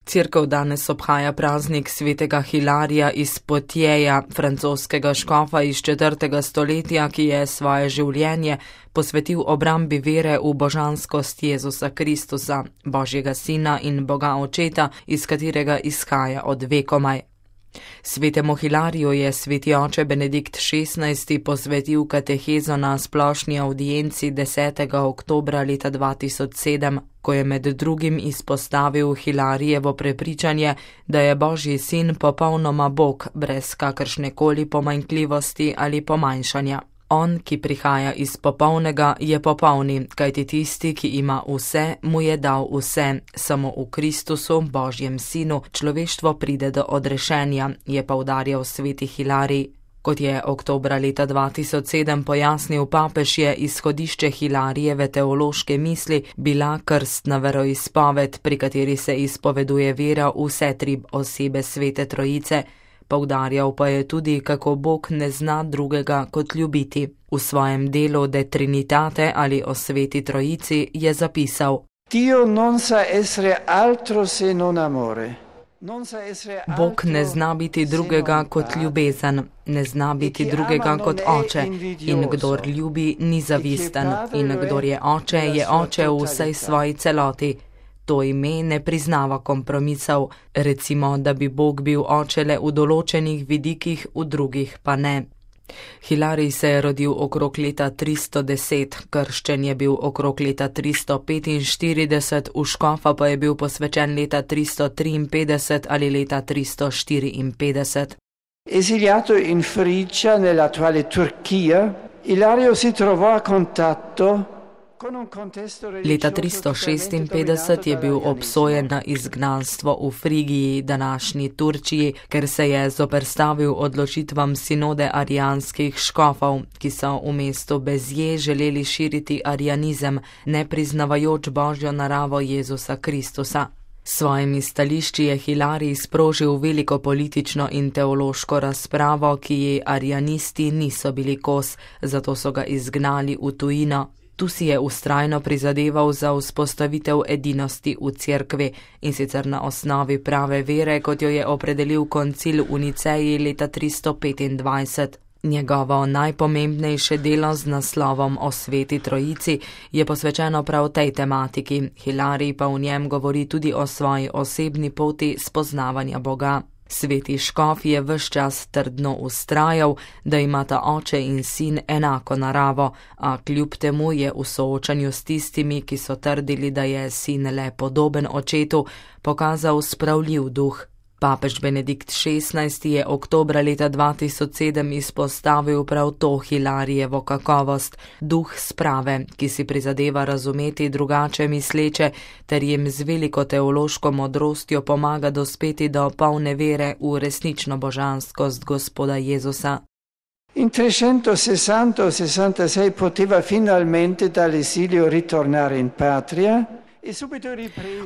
Cerkev danes obhaja praznik svetega Hilarija iz Poitieja, francoskega škofa iz 4. stoletja, ki je svoje življenje posvetil obrambi vere v božanskost Jezusa Kristusa, Božjega Sina in Boga Očeta, iz katerega izhaja od vekomaj. Svetemu Hilariju je sveti oče Benedikt XVI. Posvetil katehezo na splošni avdienci 10. oktobra leta 2007, ko je med drugim izpostavil Hilarijevo prepričanje, da je Božji sin popolnoma Bog, brez kakršnekoli pomanjkljivosti ali pomanjšanja. On, ki prihaja iz popolnega, je popolni, kajti tisti, ki ima vse, mu je dal vse. Samo v Kristusu, Božjem sinu, človeštvo pride do odrešenja, je poudarjal sveti Hilarij. Kot je oktobra leta 2007 pojasnil papež, je izhodišče Hilarijeve teološke misli bila krstna veroizpoved, pri kateri se izpoveduje vera v vse tri osebe Svete Trojice. Poudarjal pa je tudi, kako Bog ne zna drugega kot ljubiti. V svojem delu De Trinitate ali o Sveti Trojici je zapisal: Dio non sa essere altro se non amore. Bog ne zna biti drugega kot ljubezen, ne zna biti drugega kot oče, in kdor ljubi, ni zavisten, in kdor je oče v vsej svoji celoti. To ime ne priznava kompromisov, recimo, da bi Bog bil oče le v določenih vidikih, v drugih pa ne. Hilarij se je rodil okrog leta 310, krščen je bil okrog leta 345, v škofa pa je bil posvečen leta 353 ali leta 354. Esiliato in Frigia nell'attuale Turchia, Hilario si trovò a contatto. Leta 356 je bil obsojen na izgnanstvo v Frigiji, današnji Turčiji, ker se je zoperstavil odločitvam sinode arijanskih škofov, ki so v mestu Bezje želeli širiti arijanizem, ne priznavajoč Božjo naravo Jezusa Kristusa. S svojimi stališči je Hilarij sprožil veliko politično in teološko razpravo, ki ji arijanisti niso bili kos, zato so ga izgnali v tujino. Tu si je vztrajno prizadeval za vzpostavitev edinosti v cerkvi, in sicer na osnovi prave vere, kot jo je opredelil koncil v Niceji leta 325. Njegovo najpomembnejše delo z naslovom o Sveti Trojici je posvečeno prav tej tematiki. Hilarij pa v njem govori tudi o svoji osebni poti spoznavanja Boga. Sveti škof je ves čas trdno vztrajal, da imata oče in sin enako naravo, a kljub temu je v soočanju s tistimi, ki so trdili, da je sin le podoben očetu, pokazal spravljiv duh. Papež Benedikt XVI. Je oktobra leta 2007 izpostavil prav to Hilarijevo kakovost, duh sprave, ki si prizadeva razumeti drugače misleče, ter jim z veliko teološko modrostjo pomaga dospeti do polne vere v resnično božanskost Gospoda Jezusa. In 360-66 poteva finalmente dall'esilio ritornare in patria.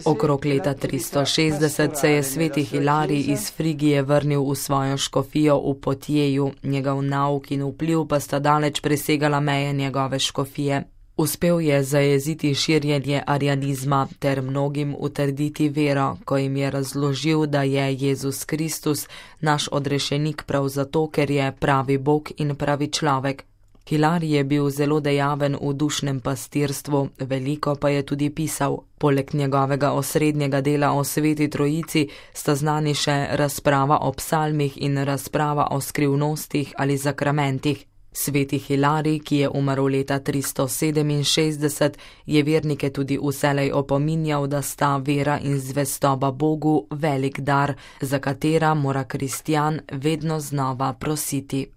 Okrog leta 360 se je sveti Hilarij iz Frigije vrnil v svojo škofijo v Poitieju, njegov nauk in vpliv pa sta daleč presegala meje njegove škofije. Uspel je zajeziti širjenje arijanizma ter mnogim utrditi vero, ko jim je razložil, da je Jezus Kristus naš odrešenik prav zato, ker je pravi Bog in pravi človek. Hilarij je bil zelo dejaven v dušnem pastirstvu, veliko pa je tudi pisal. Poleg njegovega osrednjega dela o Sveti Trojici sta znani še razprava o psalmih in razprava o skrivnostih ali zakramentih. Sveti Hilarij, ki je umrl leta 367, je vernike tudi vselej opominjal, da sta vera in zvestoba Bogu velik dar, za katera mora kristjan vedno znova prositi.